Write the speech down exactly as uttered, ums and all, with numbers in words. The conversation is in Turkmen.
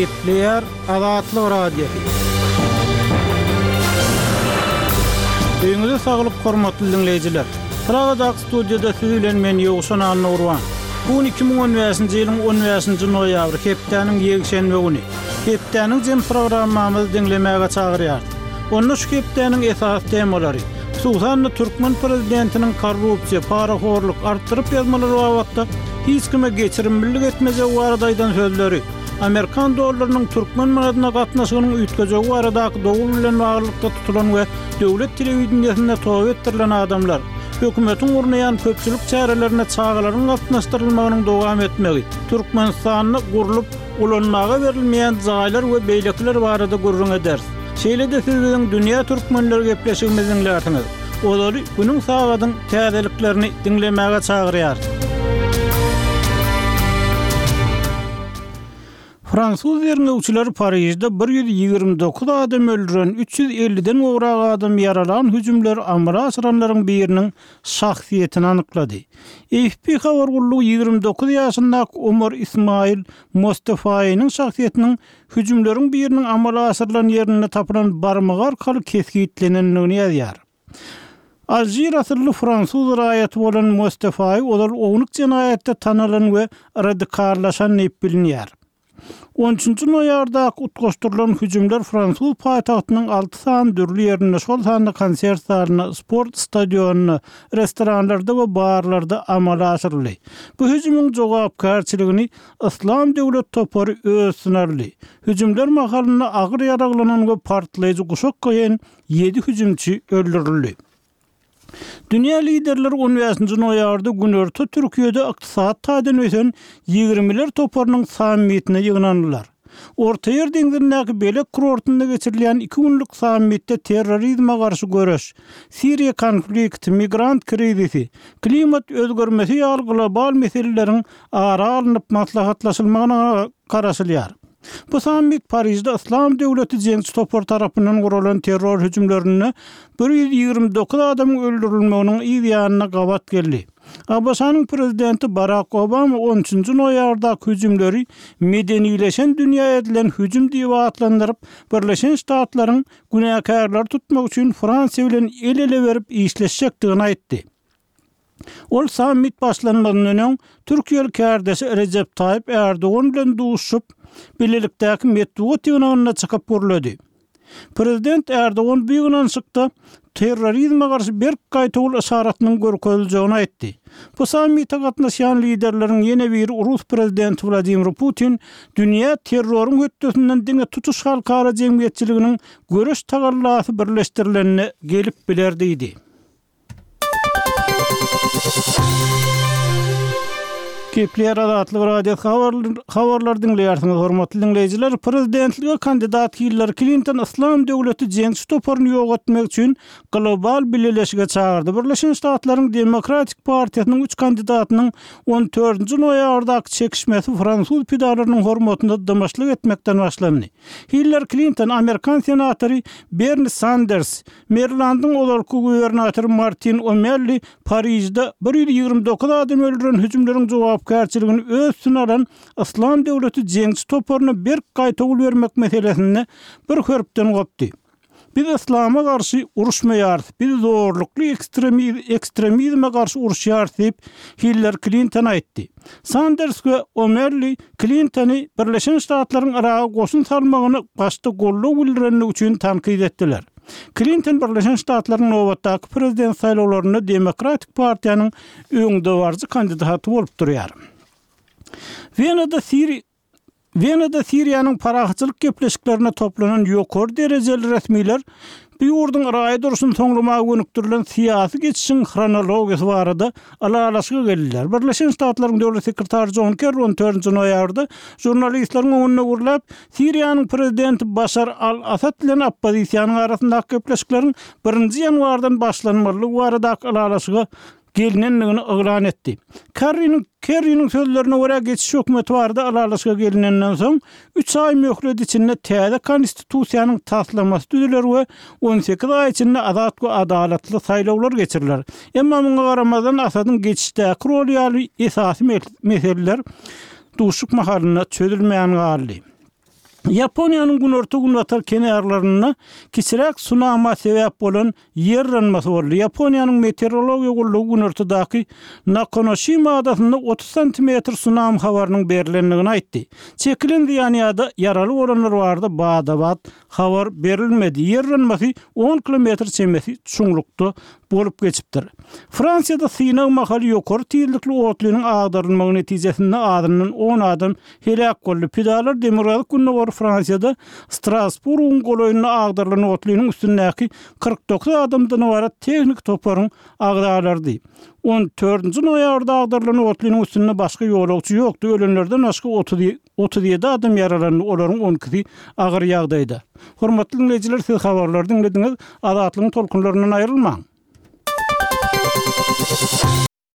Gepleýär Azatlyk Radiosy. Öýüňize saglyk hormatly diňleýjiler. Pragadaky studiýada siz bilen men Ýowşan Annagurban. Bu gün iki müň on bäşinji ýylyň on bäşinji noýabry, hepdäniň ýekşenbe güni. Hepdäniň jem programmamyzy diňlemäge çagyrýarys. Onda şu hepdäniň esasy temalary, hususan-da türkmen prezidentiniň korrupsiýa, parahorluk, artdyryp ýazmalar babatda hiç kime geçirimlilik etmejegi barada aýdan sözleri, amerikan dollarynyň türkmen manadyna gatnaşygynyň üýtgejegi baradaky dowul bilen baglylykda tutulan we döwlet telewideniýesinde toba etdirilen adamlar, hökümetiň gurnaýan köpçülik çärelerine çagalaryň gatnaşdyrylmagynyň dowam etmegi, Türkmenistanda gurlup, ulanmaga berilmeýän jaýlar we beýlekiler barada gürrüň ederis. Şeýle-de siz biziň Dünýä Türkmenleri gepleşigimizi diňlärsiňiz. Ozaly günüň sagadyň täzeliklerini diňlemäge çagyrýarys. Fransuz derňewçileri Parižde bir ýüz ýigrimi dokuz adam öldüren, üç ýüz elliden gowrak adam ýaralan hüjümleri amala aşyranlaryň biriniň şahsyýetini anyklady. A F P habar gullugy ýigrimi dokuz ýaşyndaky Omar Ismail Mostefaýynyň şahsyýetiniň hüjümleriň biriniň amala aşyrylan ýerinde tapylan barmagy arkaly kesgitlenendigini ýazýar. Alžir asylly fransuz raýaty bolan Mostefaý ozal ownuk jenaýatda tanalan we radikallaşan diýip bilinýär. On üçünji noýabrdaky utgaşdyrylan hüjümler fransuz paýtagtynyň alty sany dürli ýerinde, şol sanda konsert zalynda, sport stadionynda, restoranlarda we barlarda amala aşyryldy. Bu hüjümiň jogapkärçiligini Yslam döwlet topary öz üstüne aldy. Hüjümler mahalynda agyr ýaraglanan we partlaýjy guşak goýan ýedi hüjümçi öldürildi. Dünýä liderleri on bäşinji noýabrda Günorta Türkiýede ykdysady taýdan ösen ýigrimiler toparynyň sammitine ýygnandylar. Ortaýer deňzindäki Belek kurortynda geçirilýän iki günlük sammitde terrorizme garşy göreş, Siriýa konflikti, migrant krizisi, klimat özgermesi ýaly global meseleleriň ara alnyp maslahatlaşylmagyna garaşylýar. Bu sammit Parižde Yslam döwleti jeňçi topar tarapyndan guralan terror hüjümlerinde bir ýüz ýigrimi dokuz adamyň öldürilmeginiň yz ýanyna gabat geldi. A B Ş-nyň prezidenti Barack Obama on üçünji noýabrdaky hüjümleri medenileşen dünýä edilen hüjüm diýip atlandyryp, Birleşen Ştatlaryň günäkärleri tutmak üçin Fransiýa bilen el-ele berip işleşjekdigini aýtdy. Ol sammit başlanmazyndan öň Türkiýeli kärdeşi Recep Tayyip Erdogan bilen duşup, birlikdäki metbugat ýygnagynda çykyp gürledi. Prezident Erdogan bu ýygnanyşykda terrorizme garşy berk gaýtawul yşaratynyň görkeziljegini aýtdy. Bu sammite gatnaşýan liderleriň ýene biri Rus prezidenti Wladimir Putin dünýä terroryň hötdesinden diňe tutuş halkara jemgyýetçiliginiň göreş tagallasy birleşdirilenine gelip biler diýdi. Kepler Azatlyk Radiosy habar-, habarlar diňleýärsiňiz, hormatly diňleýjiler. Prezidentlige kandidat Hillary Clinton Yslam döwleti jeňçi toparyny ýok etmek üçin global bileleşige çagyrdy. Birleşen Ştatlaryň Demokratik partiýasynyň üç kandidatynyň on dördünji noýabrdaky çekişmesi fransuz pidalarynyň hormatyna dymyşlyk etmekden başlandy. Hillary Clinton, Amerikan senatory Bernie Sanders, Marylandyň ozalky gubernatory Martin O'Malley Parižde bir ýüz ýigrimi dokuz adam öldüren hüjümleriň jogapkärçiligini öz üstüne alan Yslam döwleti jeňçi toparyna berk gaýtawul bermek meselesinde bir hörpden gopdy. Biz Yslama garşy uruşmaýarys, biz zorlukly ekstremiz-, ekstremizme garşy uruşýarys diýip Hillary Clinton aýtdy. Sanders we O'Malley Clintony Birleşen Ştatlaryň Yraga goşun salmagyny başda goldaw bildirenligi üçin tankyt etdiler. Clinton Birleşen Ştatlaryň nobatdaky prezident saýlawlarynda Demokratik partiýanyň öňdebaryjy kandidaty bolup durýar. Wenada Siri Wenada Siriýanyň parahatçylyk gepleşiklerine toplanan ýokary derejeli resmiler bu ýurduň raýat urşuny soňlamaga gönükdirilen syýasy geçişiň hronologiýasy barada ylalaşyga geldiler. Birleşen Ştatlaryň döwlet sekretary John Kerry on dördünji noýabrda žurnalistleriň öňünde gürläp, Siriýanyň prezidenti Başar al-Asad bilen oppozisiýanyň arasyndaky gepleşikleriň birinji ýanwardan başlanmalydygy baradaky ylalaşyga gelinendigini yglan etdi. Kerry'niň, Kerry'niň sözlerine görä geçiş hökümeti barada ylalaşyga gelinenden soň üç aý möhlet içinde täze konstitusiýanyň taslamasy düzüler we on sekiz aý içinde azat we adalatly saýlawlar geçiriler. Emma muňa garamazdan Asadyň geçişdäki roly ýaly esasy meseleler duşuk mahalynda çözülmeýän galdy. Ýaponiýanyň günorta-günbatar kenarlarynda kiçiräk sunama sebäp bolan ýer yranmasy boldy. Ýaponiýanyň meteorologiýa gullugy günortadaky Nakonoşima adasynda otuz santimetr sunami habarynyň berlendigini aýtdy. Çekilen zyýan ýa-da ýaraly bolanlar barada bada-bat habar berilmedi. Ýer yranmasy on kilometr çemesi çuňlukda bolup geçipdir. Fransiýada synag mahaly ýokary tizlikli otlynyň agdarylmagy netijesinde azyndan on adam heläk boldy. Pidalar demirgazyk-gündogar Fransiýada Strasburgyň golaýynda agdarylan otlynyň üstündäki kyrk dokuz adamdan ybarat tehniki toparyň agzalarydy. On dördünji noýabrda agdarylan otlynyň üstünde başga ýolagçy ýokdy. Ölenlerden başga otuz ýedi adam ýaralandy, olaryň on ikisi agyr ýagdaýda. Hormatly diňleýjiler, siz habarlary diňlediňiz. Azatlygyň tolkunlaryndan aýrylmaň.